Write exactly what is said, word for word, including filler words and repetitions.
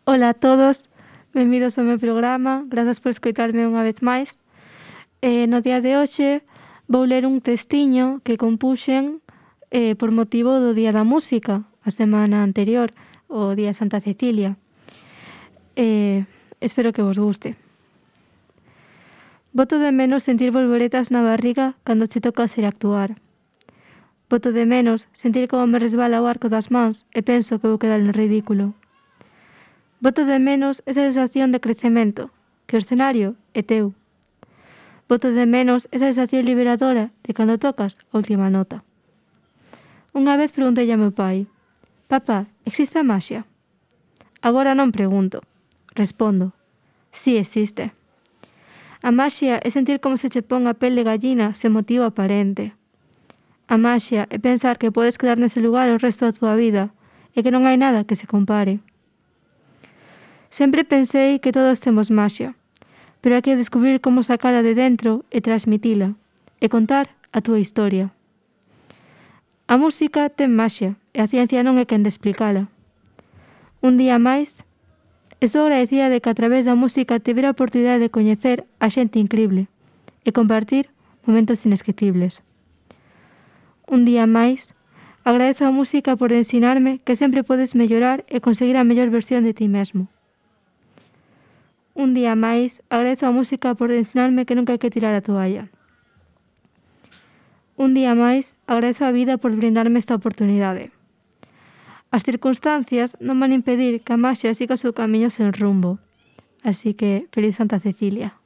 Ola a todos, benvidos ao meu programa, grazas por escoitarme unha vez máis. Eh, no día de hoxe vou ler un textiño que compuxen eh, por motivo do Día da Música, a semana anterior, o Día de Santa Cecilia. Eh, espero que vos guste. Boto de menos sentir volvoretas na barriga cando che toca ser actuar. Boto de menos sentir como me resbala o arco das mans e penso que vou quedar no ridículo. Boto de menos esa sensación de crecemento, que o escenario é teu. Boto de menos esa sensación liberadora de cando tocas a última nota. Unha vez preguntei a meu pai: "Papá, existe a maxia?" Agora non pregunto, respondo: "Si existe." A maxia é sentir como se che pon a pel de gallina sen motivo aparente. A maxia é pensar que podes quedar nese lugar o resto da túa vida e que non hai nada que se compare. Sempre pensei que todos temos maxia, pero hai que descubrir como sacala de dentro e transmitila, e contar a túa historia. A música ten maxia e a ciencia non é quen de explicala. Un día máis, estou agradecida de que a través da música tivera a oportunidade de coñecer a xente incrible e compartir momentos inesquecibles. Un día máis, agradezo a música por ensinarme que sempre podes mellorar e conseguir a mellor versión de ti mesmo. Un día máis, agradezo a música por ensinarme que nunca hai que tirar a toalla. Un día máis, agradezo a vida por brindarme esta oportunidade. As circunstancias non van impedir que a maxia siga o seu camiño sen rumbo. Así que, feliz Santa Cecilia.